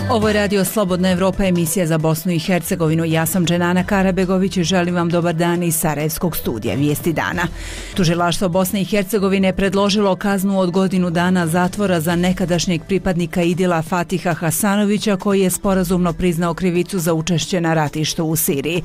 Ovo je Radio Slobodna Evropa, emisija za Bosnu i Hercegovinu. Ja sam Dženana Karabegović i želim vam dobar dan iz Sarajevskog studija Vijesti dana. Tužilaštvo Bosne i Hercegovine predložilo kaznu od godinu dana zatvora za nekadašnjeg pripadnika Idila Fatiha Hasanovića, koji je sporazumno priznao krivicu za učešće na ratištu u Siriji.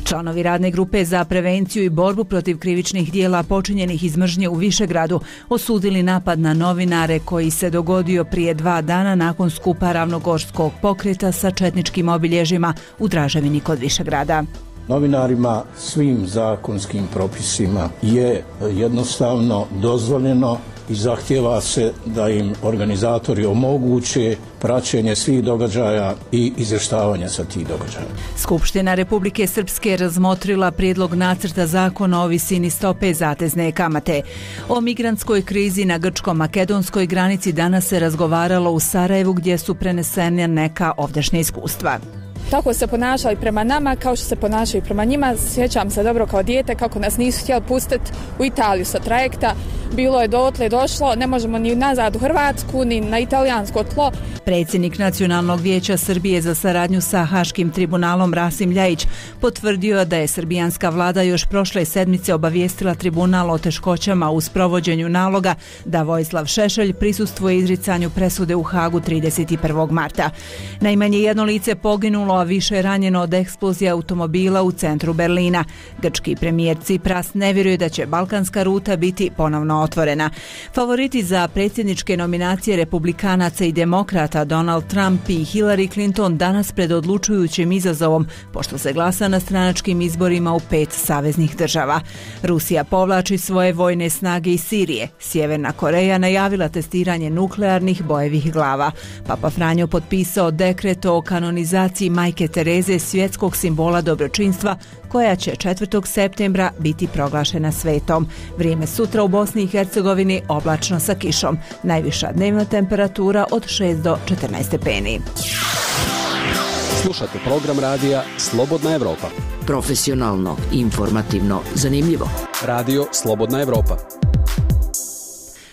Članovi radne grupe za prevenciju i borbu protiv krivičnih dijela počinjenih iz mržnje u Višegradu osudili napad na novinare koji se dogodio prije 2 dana nakon skupa Ravnogorskog pokreta sa četničkim obilježjima u Draževini kod Višegrada. Novinarima svim zakonskim propisima je jednostavno dozvoljeno i zahtijeva se da im organizatori omoguće praćenje svih događaja i izvještavanje sa tih događaja. Skupština Republike Srpske razmotrila prijedlog nacrta zakona o visini stope zatezne kamate. O migrantskoj krizi na grčko-makedonskoj granici danas se razgovaralo u Sarajevu, gdje su prenesene neka ovdašnja iskustva. Tako se ponašali prema nama kao što se ponašaju prema njima. Sjećam se dobro kao dijete kako nas nisu htjeli pustiti u Italiju sa trajekta. Bilo je dotle došlo, ne možemo ni nazad u Hrvatsku, ni na italijansko tlo. Predsjednik Nacionalnog vijeća Srbije za saradnju sa Haškim tribunalom Rasim Ljajić potvrdio da je srbijanska vlada još prošle sedmice obavijestila tribunal o teškoćama u sprovođenju naloga da Vojislav Šešelj prisustvuje izricanju presude u Hagu 31. marta. Najmanje jedno lice poginulo, a više ranjeno od eksplozije automobila u centru Berlina. Grčki premijer Cipras ne vjeruje da će balkanska ruta biti ponovno otvorena. Favoriti za predsjedničke nominacije republikanaca i demokrata Donald Trump i Hillary Clinton danas pred odlučujućim izazovom, pošto se glasa na stranačkim izborima u 5 saveznih država. Rusija povlači svoje vojne snage iz Sirije. Sjeverna Koreja najavila testiranje nuklearnih bojevih glava. Papa Franjo potpisao dekret o kanonizaciji Majke Tereze, svjetskog simbola dobročinstva, koja će 4. septembra biti proglašena svetom. Vrijeme sutra u Bosni i Hercegovini oblačno sa kišom. Najviša dnevna temperatura od 6 do 14 stepeni. Slušate program radija Slobodna Evropa. Profesionalno, informativno, zanimljivo. Radio Slobodna Evropa.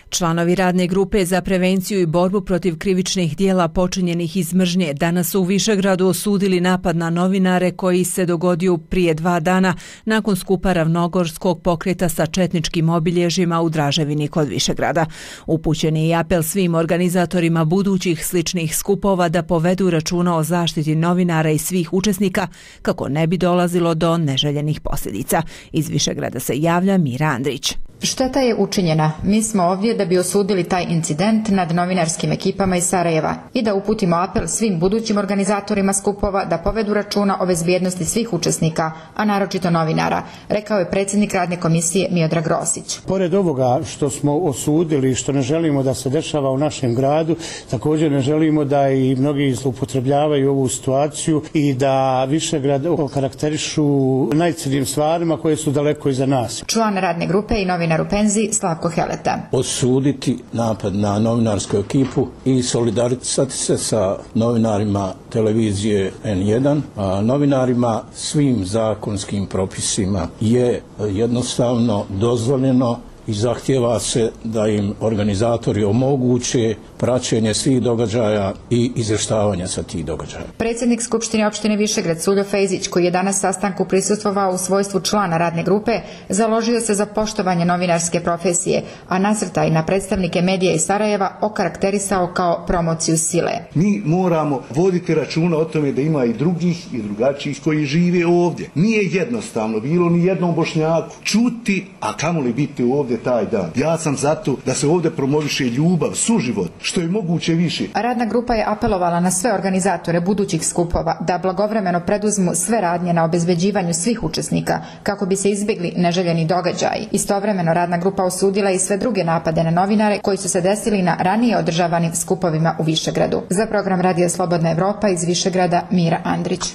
Članovi radne grupe za prevenciju i borbu protiv krivičnih dijela počinjenih iz mržnje danas su u Višegradu osudili napad na novinare koji se dogodio prije 2 dana nakon skupa Ravnogorskog pokreta sa četničkim obilježjima u Draževini kod Višegrada. Upućen je i apel svim organizatorima budućih sličnih skupova da povedu računa o zaštiti novinara i svih učesnika kako ne bi dolazilo do neželjenih posljedica. Iz Višegrada se javlja Mira Andrić. Šteta je učinjena. Mi smo ovdje da bi osudili taj incident nad novinarskim ekipama iz Sarajeva i da uputimo apel svim budućim organizatorima skupova da povedu računa o bezbjednosti svih učesnika, a naročito novinara, rekao je predsjednik radne komisije Miodrag Rosić. Pored ovoga što smo osudili i što ne želimo da se dešava u našem gradu, također ne želimo da i mnogi zloupotrebljavaju ovu situaciju i da Višegrad okarakterišu najcrnjim stvarima koje su daleko iza nas. Član radne grupe i novinar u penziji Slavko Heleta. Osuditi napad na novinarsku ekipu i solidarizirati se sa novinarima televizije N1, a novinarima svim zakonskim propisima je jednostavno dozvoljeno i zahtijeva se da im organizatori omoguće praćenje svih događaja i izvještavanje sa tih događaja. Predsjednik Skupštine opštine Višegrad Suljo Fejzić, koji je danas sastanku prisustvovao u svojstvu člana radne grupe, založio se za poštovanje novinarske profesije, a nasrtaj na predstavnike medija iz Sarajeva okarakterisao kao promociju sile. Mi moramo voditi računa o tome da ima i drugih i drugačijih koji žive ovdje. Nije jednostavno bilo ni jednom Bošnjaku čuti, a kamoli biti ovdje taj dan. Ja sam zato da se ovdje promoviše ljubav, suživot, što je moguće više. Radna grupa je apelovala na sve organizatore budućih skupova da blagovremeno preduzmu sve radnje na obezbeđivanju svih učesnika kako bi se izbjegli neželjeni događaji. Istovremeno radna grupa osudila i sve druge napade na novinare koji su se desili na ranije održavanim skupovima u Višegradu. Za program Radija Slobodna Evropa iz Višegrada Mira Andrić.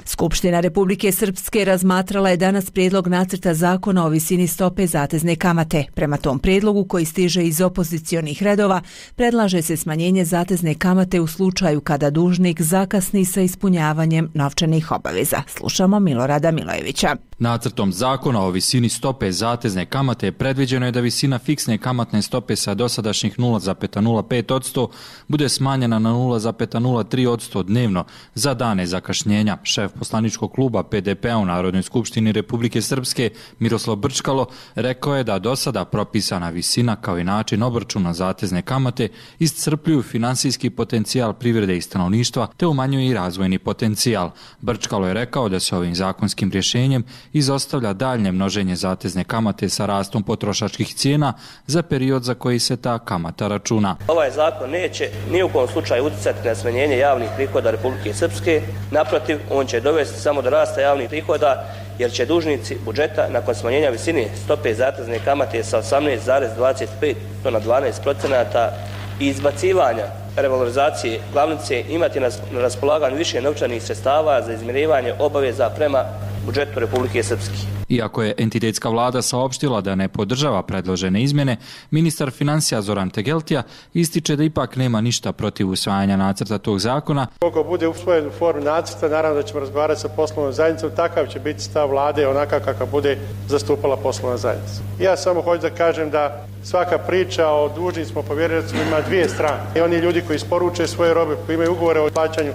Skupština Republike Srpske razmatrala je danas prijedlog nacrta zakona o visini stope zatezne kamate. Prema tom prijedlogu, koji stiže iz opozicionih redova, predlaže se smanjenje zatezne kamate u slučaju kada dužnik zakasni sa ispunjavanjem novčanih obaveza. Slušamo Milorada Milojevića. Nacrtom zakona o visini stope zatezne kamate predviđeno je da visina fiksne kamatne stope sa dosadašnjih 0,05% bude smanjena na 0,03% dnevno za dane zakašnjenja. Šef poslaničkog kluba PDP-a u Narodnoj skupštini Republike Srpske Miroslav Brčkalo rekao je da do sada propisana visina kao i način obračuna zatezne kamate iscrpljuju finansijski potencijal privrede i stanovništva te umanjuju i razvojni potencijal. Brčkalo je rekao da se ovim zakonskim rješenjem izostavlja daljnje množenje zatezne kamate sa rastom potrošačkih cijena za period za koji se ta kamata računa. Ovaj zakon neće ni u kom slučaju utjecati na smanjenje javnih prihoda Republike Srpske. Naprotiv, on će dovesti samo do rasta javnih prihoda jer će dužnici budžeta nakon smanjenja visine stope zatezne kamate sa 18,25 na 12% i izbacivanja revalorizacije glavnice imati na raspolaganju više novčanih sredstava za izmirivanje obaveza prema budžetu Republike Srpske. Iako je entitetska vlada saopštila da ne podržava predložene izmjene, ministar financija Zoran Tegeltija ističe da ipak nema ništa protiv usvajanja nacrta tog zakona. Koliko bude usvojen u formi nacrta, naravno da ćemo razgovarati sa poslovnom zajednicom, takav će biti stav vlade onaka kakav bude zastupala poslovna zajednica. Ja samo hoću da kažem da svaka priča o dužnicima povjerenicima ima dvije strane. I oni ljudi koji isporuče svoje robe, koji imaju ugovore o plaćanju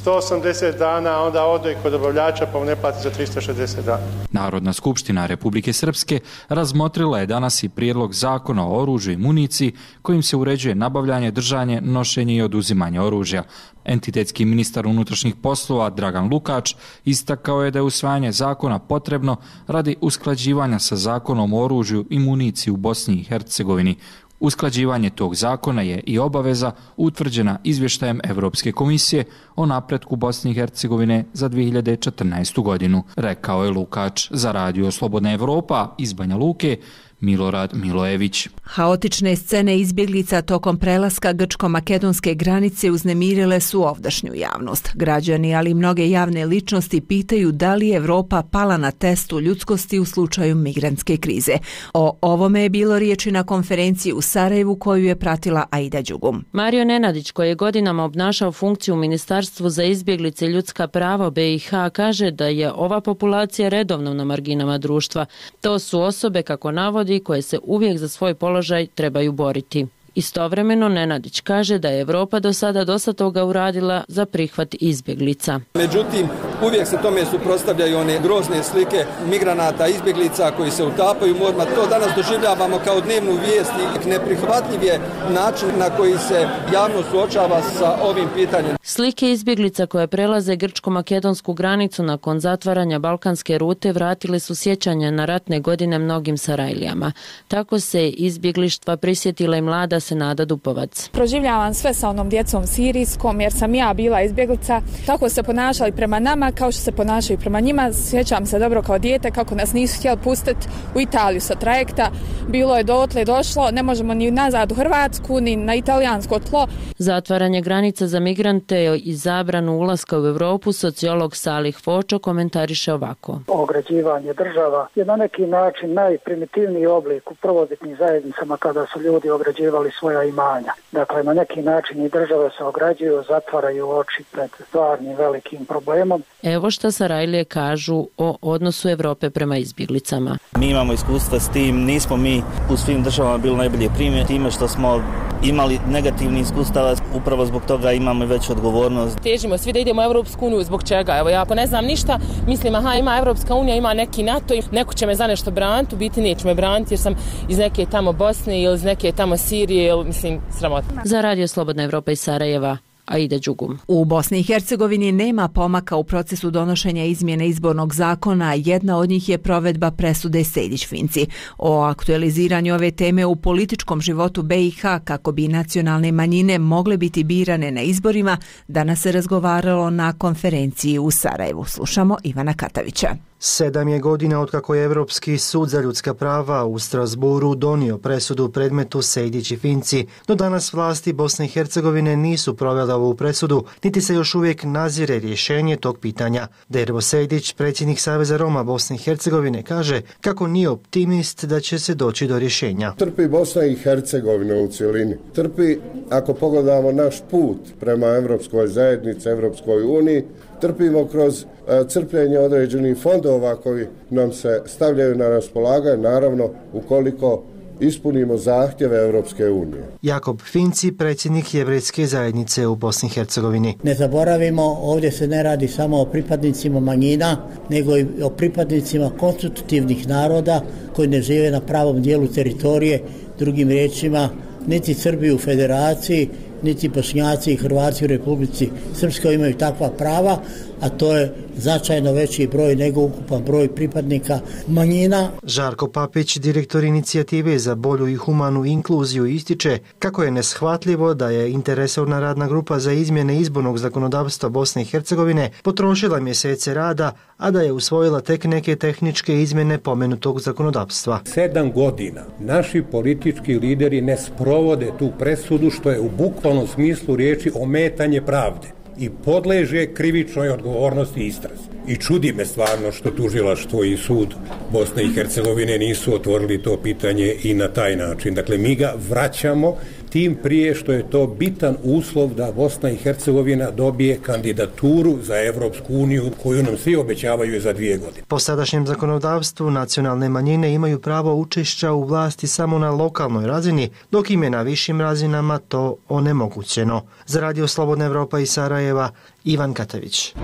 180 dana, onda ode kod dobavljača pa mu ne plati za 360 dana. Narodna skupština Republike Srpske razmotrila je danas i prijedlog zakona o oružju i municiji kojim se uređuje nabavljanje, držanje, nošenje i oduzimanje oružja. Entitetski ministar unutrašnjih poslova Dragan Lukač istakao je da je usvajanje zakona potrebno radi usklađivanja sa zakonom o oružju i municiji u Bosni i Hercegovini. Usklađivanje tog zakona je i obaveza utvrđena izvještajem Evropske komisije o napretku Bosne i Hercegovine za 2014. godinu, rekao je Lukač za Radio Slobodna Evropa iz Banja Luke. Milorad Milojević. Haotične scene izbjeglica tokom prelaska grčko-makedonske granice uznemirile su ovdašnju javnost. Građani, ali i mnoge javne ličnosti pitaju da li je Evropa pala na testu ljudskosti u slučaju migrantske krize. O ovome je bilo riječi na konferenciji u Sarajevu koju je pratila Aida Đugum. Mario Nenadić, koji je godinama obnašao funkciju u Ministarstvu za izbjeglice i ljudska prava BiH, kaže da je ova populacija redovno na marginama društva. To su osobe, kako navodi, koje se uvijek za svoj položaj trebaju boriti. Istovremeno Nenadić kaže da je Evropa do sada dosta toga uradila za prihvat izbjeglica. Međutim, uvijek se tome suprotstavljaju one grozne slike migranata, izbjeglica koji se utapaju u morima. To danas doživljavamo kao dnevnu vijest i neprihvatljiv je način na koji se javnost suočava sa ovim pitanjem. Slike izbjeglica koje prelaze grčko-makedonsku granicu nakon zatvaranja balkanske rute vratile su sjećanja na ratne godine mnogim Sarajlijama. Tako se izbjeglištva prisjetila i mlada Senada Dupovac. Proživljavam sve sa onom djecom sirijskom jer sam ja bila izbjeglica. Tako se ponašali prema nama kao što se ponašaju prema njima. Sjećam se dobro kao dijete kako nas nisu htjeli pustiti u Italiju sa trajekta. Bilo je dotle došlo, ne možemo ni nazad u Hrvatsku ni na italijansko tlo. Zatvaranje granica za migrante i zabranu ulaska u Europu sociolog Salih Fočo komentariše ovako. Ograđivanje država je na neki način najprimitivniji oblik u prvobitnim zajednicama kada su ljudi ograđivali svoja imanja. Dakle, na neki način i države se ograđuju, zatvaraju oči pred stvarnim velikim problemom. Evo šta Sarajlije kažu o odnosu Evrope prema izbjeglicama. Mi imamo iskustva s tim, nismo mi u svim državama bili najbolje primjer, time što smo imali negativni iskustava, upravo zbog toga imamo veću odgovornost. Težimo svi da idemo u Evropsku uniju, zbog čega? Evo, ja ako ne znam ništa, mislim, ima Evropska unija, ima neki NATO i neko će me za nešto braniti, u biti neće me braniti jer sam iz neke tamo Bosne ili iz neke tamo Sirije, ili, mislim, sramotno. Za Radio Slobodna Evropa iz Sarajeva, Aida Đugum. U Bosni i Hercegovini nema pomaka u procesu donošenja izmjene izbornog zakona, jedna od njih je provedba presude Sejdić-Finci. O aktualiziranju ove teme u političkom životu BiH kako bi nacionalne manjine mogle biti birane na izborima, danas se razgovaralo na konferenciji u Sarajevu. Slušamo Ivana Katavića. 7 je godina otkako je Europski sud za ljudska prava u Strasburu donio presudu u predmetu Sejdić i Finci, no danas vlasti Bosne i Hercegovine nisu provele poštovala ovu presudu, niti se još uvijek nazire rješenje tog pitanja. Dervo Sejdić, predsjednik Saveza Roma Bosne i Hercegovine, kaže kako nije optimist da će se doći do rješenja. Trpi Bosna i Hercegovina u cjelini. Trpi, ako pogledamo naš put prema Evropskoj zajednici, Evropskoj uniji, trpimo kroz crpljenje određenih fondova koji nam se stavljaju na raspolaganje, naravno ukoliko ispunimo zahtjeve Europske unije. Jakob Finci, predsjednik Jevrejske zajednice u Bosni i Hercegovini. Ne zaboravimo, ovdje se ne radi samo o pripadnicima manjina, nego i o pripadnicima konstitutivnih naroda koji ne žive na pravom dijelu teritorije, drugim riječima, niti Srbi u federaciji, niti Bošnjaci i Hrvati u Republici Srpskoj imaju takva prava, a to je značajno veći broj nego ukupan broj pripadnika manjina. Žarko Papić, direktor inicijative za bolju i humanu inkluziju, ističe kako je neshvatljivo da je interesovna radna grupa za izmjene izbornog zakonodavstva Bosne i Hercegovine potrošila mjesece rada, a da je usvojila tek neke tehničke izmjene pomenutog zakonodavstva. 7 godina naši politički lideri ne sprovode tu presudu, što je u bukvalnom smislu riječi ometanje pravde i podleže krivičnoj odgovornosti i istrazi. I čudi me stvarno što tužilaštvo i sud Bosne i Hercegovine nisu otvorili to pitanje i na taj način. Dakle, mi ga vraćamo, tim prije što je to bitan uslov da Bosna i Hercegovina dobije kandidaturu za Evropsku uniju koju nam svi obećavaju za 2 godine. Po sadašnjem zakonodavstvu nacionalne manjine imaju pravo učešća u vlasti samo na lokalnoj razini, dok im je na višim razinama to onemogućeno. Za Radio Slobodna Evropa iz Sarajeva, Ivan Katavić.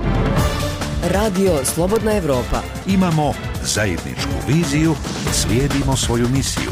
Radio Slobodna Evropa. Imamo zajedničku viziju, slijedimo svoju misiju.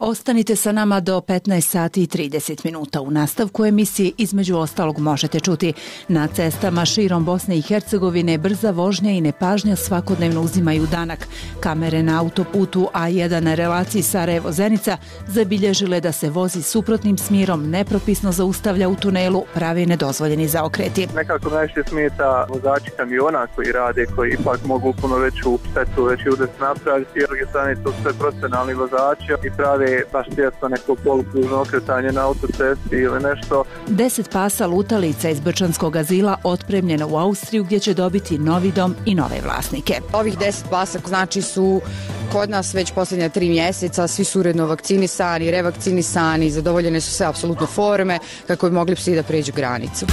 Ostanite sa nama do 15 sati i 30 minuta. U nastavku emisije između ostalog možete čuti: na cestama širom Bosne i Hercegovine brza vožnja i nepažnja svakodnevno uzimaju danak. Kamere na autoputu A1 na relaciji Sarajevo-Zenica zabilježile da se vozi suprotnim smjerom, nepropisno zaustavlja u tunelu, pravi nedozvoljeni zaokreti. Nekako najviše smeta vozači kamiona koji rade, koji ipak mogu puno veću štetu, veći udes napraviti. S druge strane, to sve profesionalni vozači i prave baš svjesno neko polukružno okretanje na autocesti ili nešto. 10 pasa lutalica iz Brčanskog azila otpremljeno u Austriju, gdje će dobiti novi dom i nove vlasnike. Ovih 10 pasa znači su kod nas već posljednja 3 mjeseca, svi su uredno vakcinisani, revakcinisani, zadovoljene su sve apsolutno forme kako bi mogli psi da pređu granicu.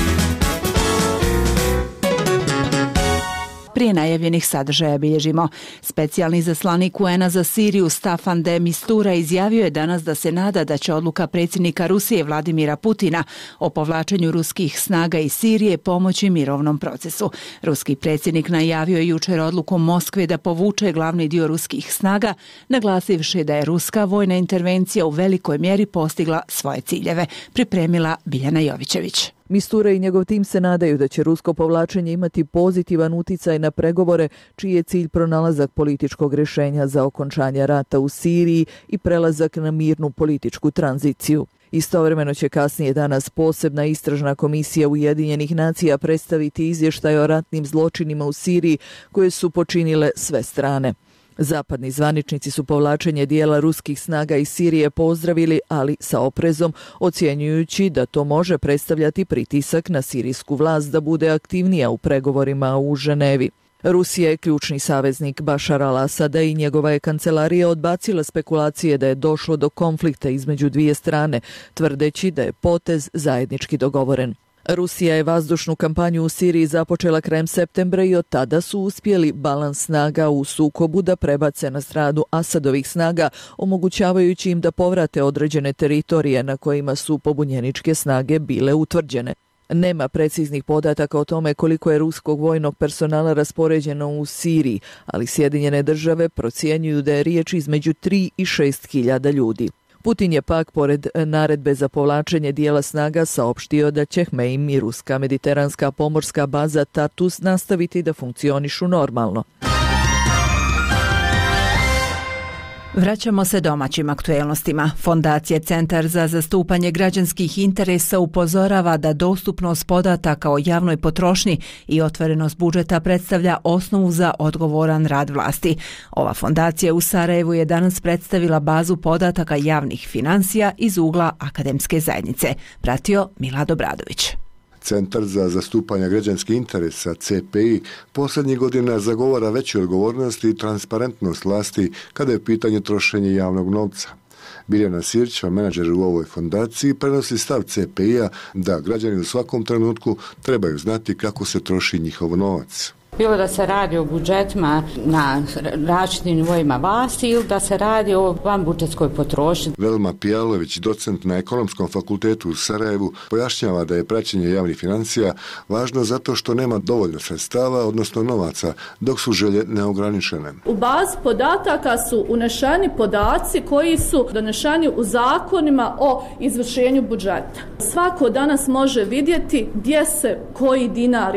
Prije najavljenih sadržaja bilježimo. Specijalni zaslanik UN-a za Siriju Staffan de Mistura izjavio je danas da se nada da će odluka predsjednika Rusije Vladimira Putina o povlačenju ruskih snaga iz Sirije pomoći mirovnom procesu. Ruski predsjednik najavio je jučer odluku Moskve da povuče glavni dio ruskih snaga, naglasivši da je ruska vojna intervencija u velikoj mjeri postigla svoje ciljeve. Pripremila Biljana Jovićević. Mistura i njegov tim se nadaju da će rusko povlačenje imati pozitivan uticaj na pregovore, čiji je cilj pronalazak političkog rješenja za okončanje rata u Siriji i prelazak na mirnu političku tranziciju. Istovremeno će kasnije danas posebna istražna komisija Ujedinjenih nacija predstaviti izvještaj o ratnim zločinima u Siriji koje su počinile sve strane. Zapadni zvaničnici su povlačenje dijela ruskih snaga iz Sirije pozdravili, ali sa oprezom, ocjenjujući da to može predstavljati pritisak na sirijsku vlast da bude aktivnija u pregovorima u Ženevi. Rusija je ključni saveznik Bašara al-Asada i njegova je kancelarija odbacila spekulacije da je došlo do konflikta između dvije strane, tvrdeći da je potez zajednički dogovoren. Rusija je vazdušnu kampanju u Siriji započela krajem septembra i od tada su uspjeli balans snaga u sukobu da prebace na stranu Asadovih snaga, omogućavajući im da povrate određene teritorije na kojima su pobunjeničke snage bile utvrđene. Nema preciznih podataka o tome koliko je ruskog vojnog personala raspoređeno u Siriji, ali Sjedinjene države procjenjuju da je riječ između 3 i 6 hiljada ljudi. Putin je pak, pored naredbe za povlačenje dijela snaga, saopštio da će Hmeim i ruska mediteranska pomorska baza Tartus nastaviti da funkcionišu normalno. Vraćamo se domaćim aktuelnostima. Fondacija Centar za zastupanje građanskih interesa upozorava da dostupnost podataka o javnoj potrošnji i otvorenost budžeta predstavlja osnovu za odgovoran rad vlasti. Ova fondacija u Sarajevu je danas predstavila bazu podataka javnih financija iz ugla akademske zajednice. Pratio Milad Obradović. Centar za zastupanje građanskih interesa, CPI, posljednjih godina zagovara veću odgovornost i transparentnost vlasti kada je pitanje trošenja javnog novca. Biljana Sirćeva, menadžer u ovoj fondaciji, prenosi stav CPI-a da građani u svakom trenutku trebaju znati kako se troši njihov novac. Bilo da se radi o budžetima na različitim nivoima vlasti ili da se radi o vanbudžetskoj potrošnji. Velma Pijalović, docent na Ekonomskom fakultetu u Sarajevu, pojašnjava da je praćenje javnih financija važno zato što nema dovoljno sredstava, odnosno novaca, dok su želje neograničene. U bazi podataka su unešeni podaci koji su donešeni u zakonima o izvršenju budžeta. Svako danas može vidjeti gdje se koji dinar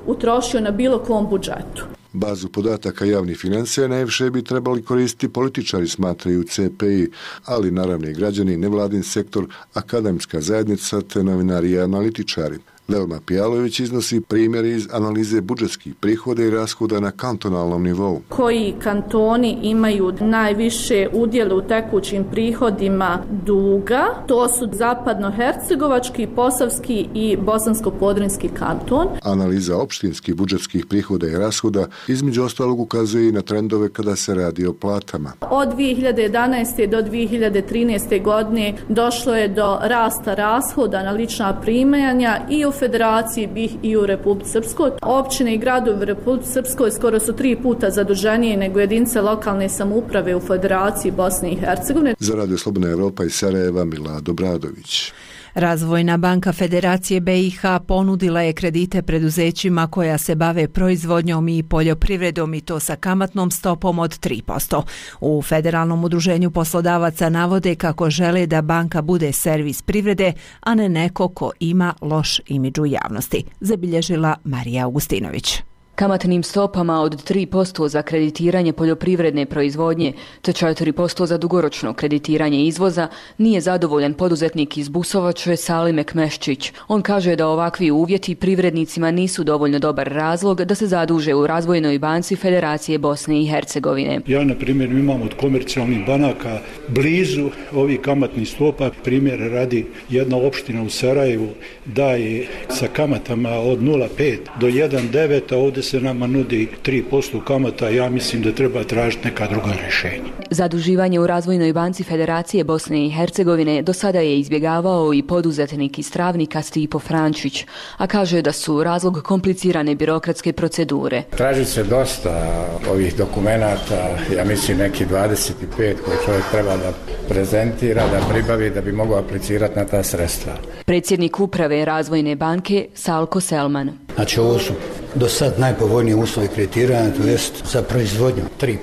utrošio na bilo kom budžetu. Bazu podataka javnih financija najviše bi trebali koristiti političari, smatraju CPI, ali naravno i građani, nevladin sektor, akademska zajednica te novinari i analitičari. Velma Pijalović iznosi primjer iz analize budžetskih prihoda i rashoda na kantonalnom nivou. Koji kantoni imaju najviše udjela u tekućim prihodima duga? To su Zapadnohercegovački, Posavski i Bosansko-Podrinjski kanton. Analiza opštinskih budžetskih prihoda i rashoda između ostalog ukazuje i na trendove kada se radi o platama. Od 2011. do 2013. godine došlo je do rasta rashoda na lična primanja i u Federaciji BiH i u Republici Srpskoj. Općine i gradovi u Republici Srpskoj skoro su 3 puta zaduženije nego jedinice lokalne samouprave u Federaciji Bosne i Hercegovine. Za Radio Slobodna Evropa iz Sarajeva, Milad Obradović. Razvojna banka Federacije BiH ponudila je kredite preduzećima koja se bave proizvodnjom i poljoprivredom i to sa kamatnom stopom od 3%. U Federalnom udruženju poslodavaca navode kako žele da banka bude servis privrede, a ne neko ko ima loš imidž u javnosti, zabilježila Marija Augustinović. Kamatnim stopama od 3% za kreditiranje poljoprivredne proizvodnje te 4% za dugoročno kreditiranje izvoza nije zadovoljan poduzetnik iz Busovače Salim Ekmeščić. On kaže da ovakvi uvjeti privrednicima nisu dovoljno dobar razlog da se zaduže u Razvojnoj banci Federacije Bosne i Hercegovine. Ja, na primjer, imam od komercijalnih banaka blizu ovih kamatnih stopa. Primjer radi, jedna opština u Sarajevu daje sa kamatama od 0,5 do 1,9, a ovdje se nama nudi 3% kamata, ja mislim da treba tražiti neka druga rješenja. Zaduživanje u Razvojnoj banci Federacije Bosne i Hercegovine do sada je izbjegavao i poduzetnik iz Travnika Stipo Frančić, a kaže da su razlog komplicirane birokratske procedure. Traži se dosta ovih dokumenata, ja mislim neki 25 koje čovjek treba da prezentira, da pribavi da bi mogao aplicirati na ta sredstva. Predsjednik uprave Razvojne banke Salko Selman. Znači ovo su do sad najpovoljniji uslovi kreditiranja, to jest za proizvodnju 3%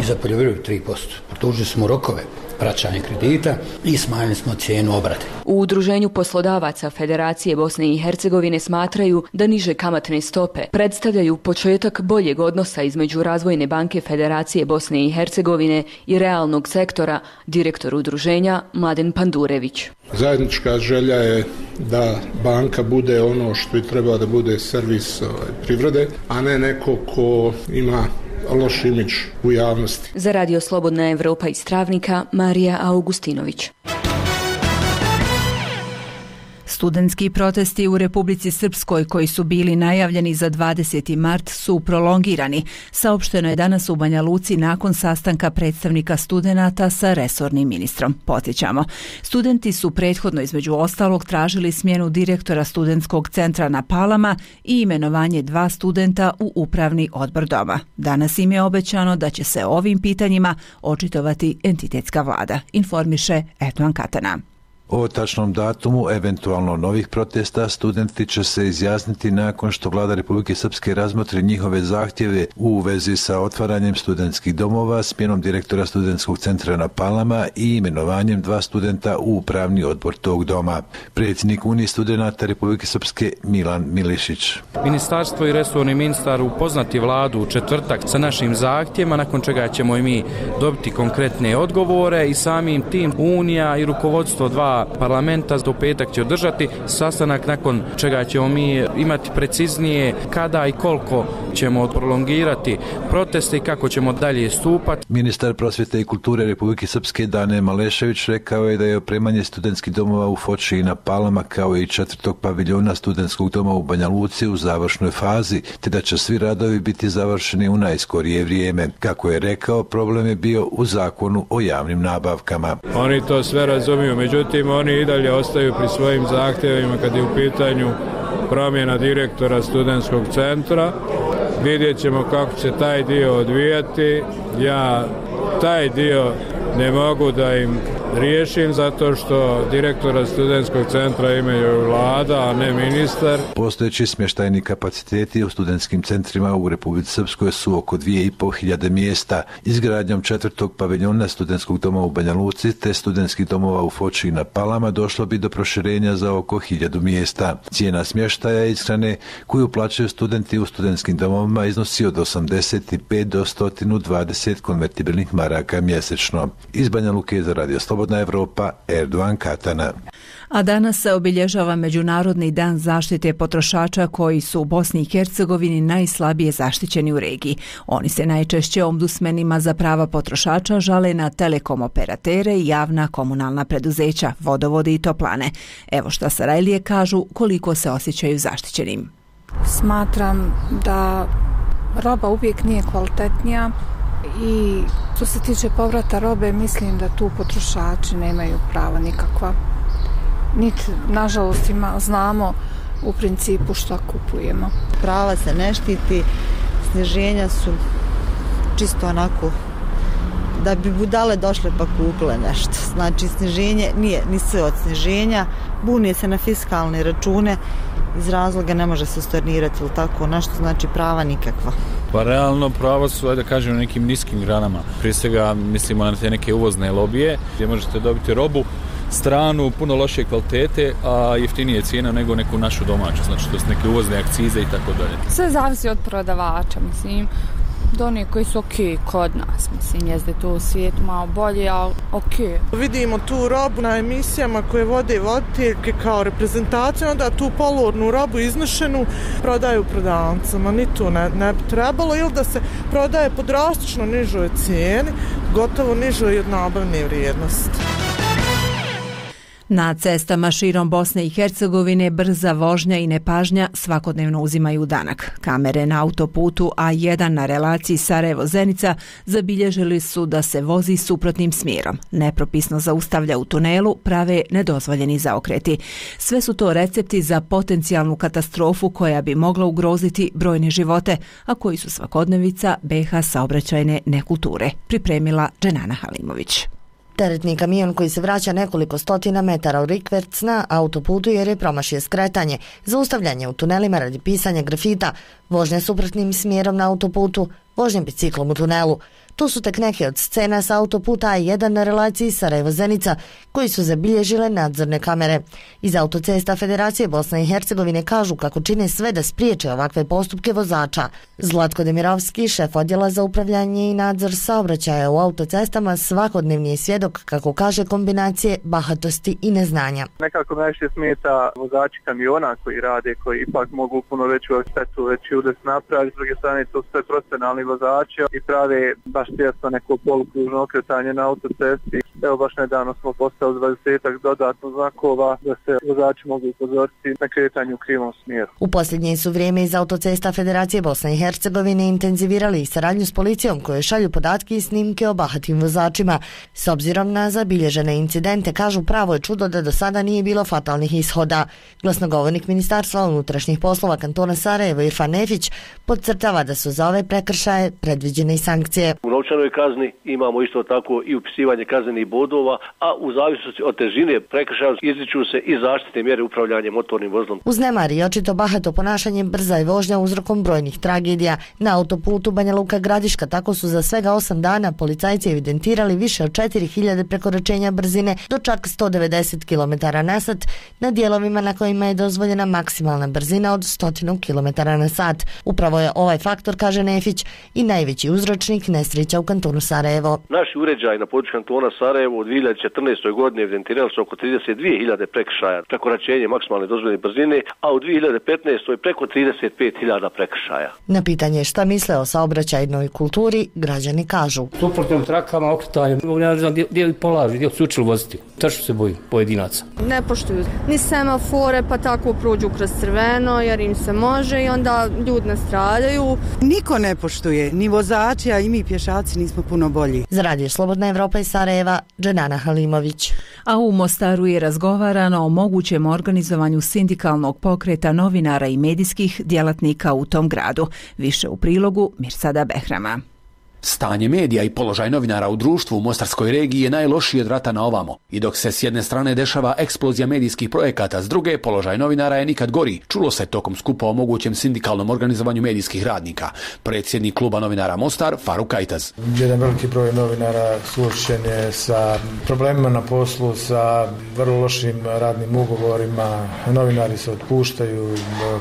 i za poljoprivredu 3%. Produžili smo rokove vraćanja kredita i smanjili smo cijenu obrade. U Udruženju poslodavaca Federacije Bosne i Hercegovine smatraju da niže kamatne stope predstavljaju početak boljeg odnosa između Razvojne banke Federacije Bosne i Hercegovine i realnog sektora, direktor udruženja Mladen Pandurević. Zajednička želja je da banka bude ono što i treba da bude servis privrede, a ne neko ko ima loš imidž u javnosti. Za Radio Slobodna Evropa iz Travnika, Marija Augustinović. Studentski protesti u Republici Srpskoj koji su bili najavljeni za 20. mart su prolongirani. Saopšteno je danas u Banja Luci nakon sastanka predstavnika studenata sa resornim ministrom. Podsjećamo, studenti su prethodno između ostalog tražili smjenu direktora studentskog centra na Palama i imenovanje 2 studenta u upravni odbor doma. Danas im je obećano da će se ovim pitanjima očitovati entitetska vlada, informiše Erdogan Katana. O tačnom datumu eventualno novih protesta studenti će se izjasniti nakon što vlada Republike Srpske razmotri njihove zahtjeve u vezi sa otvaranjem studentskih domova, smjenom direktora studentskog centra na Palama i imenovanjem 2 studenta u upravni odbor tog doma. Predsjednik Unije studenata Republike Srpske Milan Milišić. Ministarstvo i resorni ministar upoznati vladu u četvrtak sa našim zahtjevima, nakon čega ćemo i mi dobiti konkretne odgovore i samim tim Unija i rukovodstvo 2 parlamenta do petak će održati sastanak, nakon čega ćemo mi imati preciznije kada i koliko ćemo prolongirati proteste i kako ćemo dalje stupati. Ministar prosvjete i kulture Republike Srpske Dane Malešević rekao je da je opremanje studentskih domova u Foči i na Palama kao i 4. paviljona studentskog doma u Banja Luci u završnoj fazi, te da će svi radovi biti završeni u najskorije vrijeme. Kako je rekao, problem je bio u zakonu o javnim nabavkama. Oni to sve razumiju, međutim oni i dalje ostaju pri svojim zahtjevima kad je u pitanju promjena direktora studentskog centra. Vidjet ćemo kako će taj dio odvijati. Ja taj dio ne mogu da im riješim zato što direktora studentskog centra imaju vlada, a ne ministar. Postojeći smještajni kapaciteti u studentskim centrima u Republici Srpskoj su oko 2500 mjesta. Izgradnjom 4. paviljona studentskog doma u Banja Luci te studentskih domova u Foči i na Palama došlo bi do proširenja za oko 1000 mjesta. Cijena smještaja i ishrane koju plaćaju studenti u studentskim domovima iznosi od 85 do 120 konvertibilnih maraka mjesečno. Iz Banja Luke za Radio Slobodna Evropa, Erdogan Katana. A danas se obilježava Međunarodni dan zaštite potrošača koji su u Bosni i Hercegovini najslabije zaštićeni u regiji. Oni se najčešće ombudsmenima za prava potrošača žale na telekom operatere i javna komunalna preduzeća, vodovode i toplane. Evo šta Sarajlije kažu koliko se osjećaju zaštićenim. Smatram da roba uvijek nije kvalitetnija i što se tiče povrata robe, mislim da tu potrošači nemaju prava nikakva. Niti, nažalost, znamo u principu što kupujemo. Prava se ne štiti, sniženja su čisto onako da bi budale došle pa kupile nešto. Znači, sniženje nije ni sve od sniženja, buni se na fiskalne račune, iz razloga ne može se stornirati ili tako nešto, znači prava nikakva. Pa realno prava su, da kažem, u nekim niskim granama. Prije svega mislimo na te neke uvozne lobije gdje možete dobiti robu stranu, puno lošije kvalitete, a jeftinije cijena nego neku našu domaću, znači to su neke uvozne akcize i tako dalje. Sve zavisi od prodavača, mislim, do onih koji su okej kod nas, mislim, jezde tu u svijetu malo bolje, ali okej. Vidimo tu robu na emisijama koje vode voditeljke kao reprezentaciju, onda tu polurnu robu iznošenu prodaju prodavcama, ni tu ne bi trebalo, ili da se prodaje po drastično nižoj cijeni, gotovo nižoj od nabavne vrijednosti. Na cestama širom Bosne i Hercegovine brza vožnja i nepažnja svakodnevno uzimaju danak. Kamere na autoputu A1 na relaciji Sarajevo-Zenica zabilježili su da se vozi suprotnim smjerom. Nepropisno zaustavlja u tunelu, prave nedozvoljeni zaokreti. Sve su to recepti za potencijalnu katastrofu koja bi mogla ugroziti brojne živote, a koji su svakodnevica BiH saobraćajne nekulture. Pripremila Dženana Halimović. Teretni kamion koji se vraća nekoliko stotina metara u rikverc na autoputu jer je promašio skretanje, zaustavljanje u tunelima radi pisanja grafita, vožnja suprotnim smjerom na autoputu, vožnja biciklom u tunelu. Tu su tek neke od scena sa autoputa A1 na relaciji Sarajevo-Zenica koji su zabilježile nadzorne kamere. Iz autocesta Federacije Bosne i Hercegovine kažu kako čine sve da spriječe ovakve postupke vozača. Zlatko Demirovski, šef odjela za upravljanje i nadzor saobraćaja u autocestama, svakodnevni je svjedok, kako kaže, kombinacije bahatosti i neznanja. Nekako najviše smeta vozači kamiona koji rade, koji ipak mogu puno veću štetu, veći udes napraviti. S druge strane, to sve profesionalni vozači i prave baš često neko polukružno okretanje na autocesti. Evo baš nedavno smo postavili 20 dodatno znakova da se vozači mogu upozoriti na kretanje u krivom smjeru. U posljednje su vrijeme iz autocesta Federacije Bosne i Hercegovine intenzivirali i saradnju s policijom koje šalju podatke i snimke o bahatim vozačima. S obzirom na zabilježene incidente, kažu, pravo je čudo da do sada nije bilo fatalnih ishoda. Glasnogovornik Ministarstva unutrašnjih poslova kantona Sarajevo Irfan Nefić podcrtava da su za ove prekršaje predviđene i sankcije. U novčanoj kazni imamo isto tako i upisivanje kaznenih bodova, a u zavisnosti od težine prekršaja izriču se i zaštitne mjere upravljanja motornim vozilom. Uz nemar i očito bahato ponašanje, brza je vožnja uzrokom brojnih tragedija. Na autoputu Banja Luka Gradiška tako su za svega 8 dana policajci evidentirali više od 4000 prekoračenja brzine do čak 190 km/h na dijelovima na kojima je dozvoljena maksimalna brzina od 100 km/h. Upravo je ovaj faktor, kaže Nefić, i najveći uzročnik nesreća u kantonu Sarajevo. Naši uređaji na području kantona Sarajevo u 2014. godini evidentirali su oko 32.000 prekršaja, prekoračenje maksimalne dozvoljene brzine, a u 2015. preko 35.000 prekršaja. Na pitanje šta misle o saobraćajnoj kulturi, građani kažu: suprotnim trakama, okretanjem, ne znam gdje polažu, gdje su učili voziti. Tačno se boji pojedinaca. Ne poštuju ni semafore, pa tako prođu kroz crveno jer im se može i onda ljudi nastradaju. Niko ne poštuje, ni vozači, a i mi pješaci nismo puno bolji. Za Radio Slobodna Evropa iz Sarajeva, Dženana Halimović. A u Mostaru je razgovarano o mogućem organizovanju sindikalnog pokreta novinara i medijskih djelatnika u tom gradu. Više u prilogu Mirsada Behrama. Stanje medija i položaj novinara u društvu u Mostarskoj regiji je najlošiji od rata na ovamo. I dok se s jedne strane dešava eksplozija medijskih projekata, s druge položaj novinara je nikad gori. Čulo se tokom skupa o mogućem sindikalnom organizovanju medijskih radnika. Predsjednik kluba novinara Mostar, Faruk Ajtaz. Jedan veliki broj novinara suočen je sa problemima na poslu, sa vrlo lošim radnim ugovorima. Novinari se otpuštaju,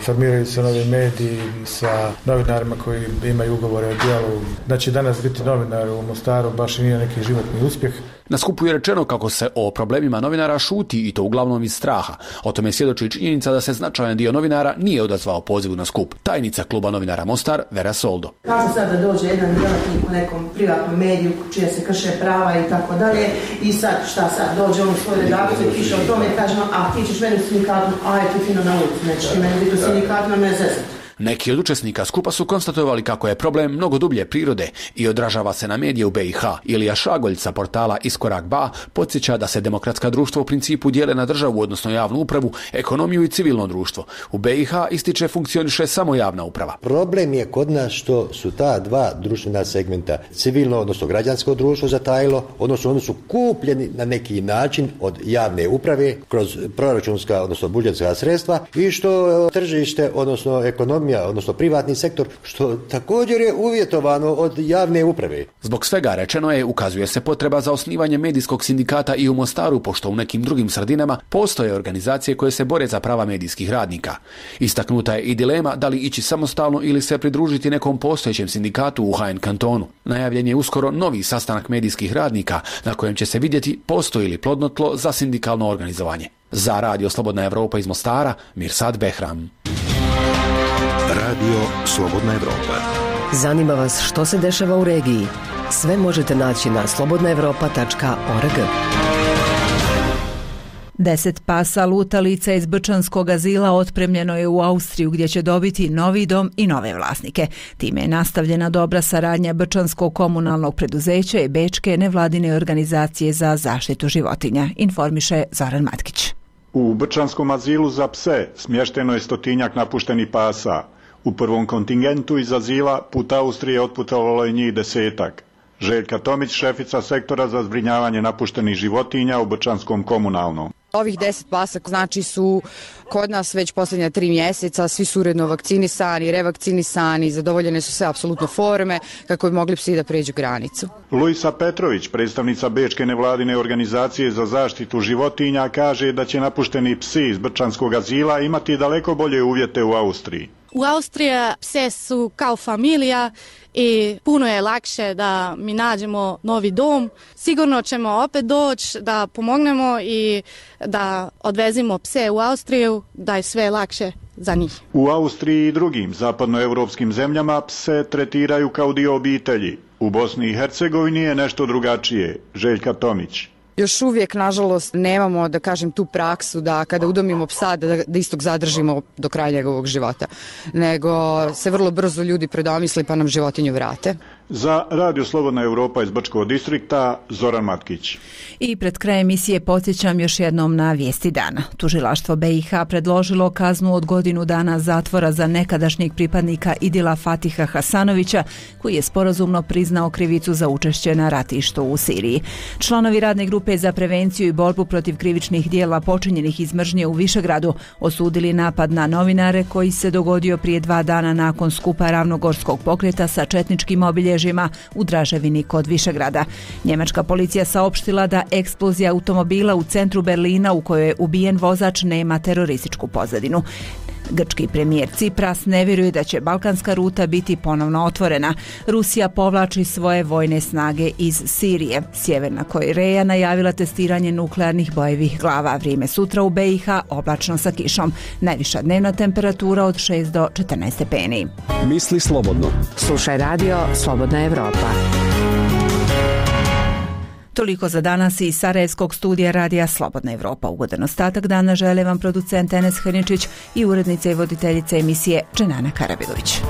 formiraju se novi mediji sa novinarima koji imaju ugovore o djelu. Znači danas biti novinar u Mostaru baš nije neki životni uspjeh. Na skupu je rečeno kako se o problemima novinara šuti i to uglavnom iz straha. O tome svjedoči činjenica da se značajan dio novinara nije odazvao pozivu na skup. Tajnica kluba novinara Mostar, Vera Soldo. Kako sad da dođe jedan djelatnik u nekom privatnom mediju čija se krše prava i tako dalje i sad šta sad dođe on u svoju redakciju i piše o tome i kaže a ti ćeš meni u sindikatu, a je ti fino na ulici, nećeš ti meni biti u sindikatu, na mene zezati. Neki od učesnika skupa su konstatovali kako je problem mnogo dublje prirode i odražava se na medije u BiH. Ilija Šagolj sa portala Iskorak Ba podsjeća da se demokratska društva u principu dijele na državu, odnosno javnu upravu, ekonomiju i civilno društvo. U BiH ističe funkcioniše samo javna uprava. Problem je kod nas što su ta dva društvena segmenta, civilno, odnosno građansko društvo zatajilo, odnosno oni su kupljeni na neki način od javne uprave kroz proračunska, odnosno budžetska sredstva i što tržište, odnosno ekonomija, odnosno privatni sektor, što također je uvjetovano od javne uprave. Zbog svega rečeno je, ukazuje se potreba za osnivanje medijskog sindikata i u Mostaru, pošto u nekim drugim sredinama postoje organizacije koje se bore za prava medijskih radnika. Istaknuta je i dilema da li ići samostalno ili se pridružiti nekom postojećem sindikatu u HN kantonu. Najavljen je uskoro novi sastanak medijskih radnika na kojem će se vidjeti postoji li plodno tlo za sindikalno organizovanje. Za Radio Slobodna Evropa iz Mostara, Mirsad Behram. Radio Slobodna Evropa. Zanima vas što se dešava u regiji? Sve možete naći na slobodnaevropa.org. 10 pasa lutalica iz Brčanskog azila otpremljeno je u Austriju gdje će dobiti novi dom i nove vlasnike. Time je nastavljena dobra saradnja Brčanskog komunalnog preduzeća i Bečke nevladine organizacije za zaštitu životinja, informiše Zoran Matkić. U Brčanskom azilu za pse smješteno je 100 napuštenih pasa. U prvom kontingentu iz azila put Austrije otputovalo je njih 10. Željka Tomić, šefica sektora za zbrinjavanje napuštenih životinja u Brčanskom komunalnom. Ovih 10 pasa znači su kod nas već posljednja 3 mjeseca, svi su uredno vakcinisani, revakcinisani, zadovoljene su sve apsolutno forme kako bi mogli psi da pređu granicu. Luisa Petrović, predstavnica Bečke nevladine organizacije za zaštitu životinja, kaže da će napušteni psi iz Brčanskog azila imati daleko bolje uvjete u Austriji. U Austriji pse su kao familija i puno je lakše da mi nađemo novi dom. Sigurno ćemo opet doći da pomognemo i da odvezimo pse u Austriju, da je sve lakše za njih. U Austriji i drugim zapadnoevropskim zemljama pse tretiraju kao dio obitelji. U Bosni i Hercegovini je nešto drugačije. Željka Tomić. još uvijek, nažalost, nemamo, da kažem, tu praksu da kada udomimo psa da istog zadržimo do kraja njegovog života, nego se vrlo brzo ljudi predomisli pa nam životinju vrate. Za Radio Slobodna Europa iz Brčkog distrikta, Zoran Matkić. I pred krajem emisije podsjećam još jednom na vijesti dana. Tužilaštvo BiH predložilo kaznu od godinu dana zatvora za nekadašnjeg pripadnika Idila Fatiha Hasanovića, koji je sporazumno priznao krivicu za učešće na ratištu u Siriji. Članovi radne grupe za prevenciju i borbu protiv krivičnih dijela počinjenih iz mržnje u Višegradu osudili napad na novinare koji se dogodio prije 2 dana nakon skupa Ravnogorskog pokreta sa četničkim obilježjima u Draževini kod Višegrada. Njemačka policija saopštila da eksplozija automobila u centru Berlina u kojoj je ubijen vozač nema terorističku pozadinu. Grčki premijer Cipras ne vjeruje da će balkanska ruta biti ponovno otvorena. Rusija povlači svoje vojne snage iz Sirije. Sjeverna Koreja najavila testiranje nuklearnih bojevih glava. Vrijeme sutra u BiH oblačno sa kišom. Najviša dnevna temperatura od 6 do 14 stepeni. Misli slobodno. Slušaj radio Slobodna Evropa. Toliko za danas iz Sarajevskog studija radija Slobodna Evropa. Ugodan ostatak dana žele vam producent Enes Hrničić i urednica i voditeljica emisije Dženana Karabilović.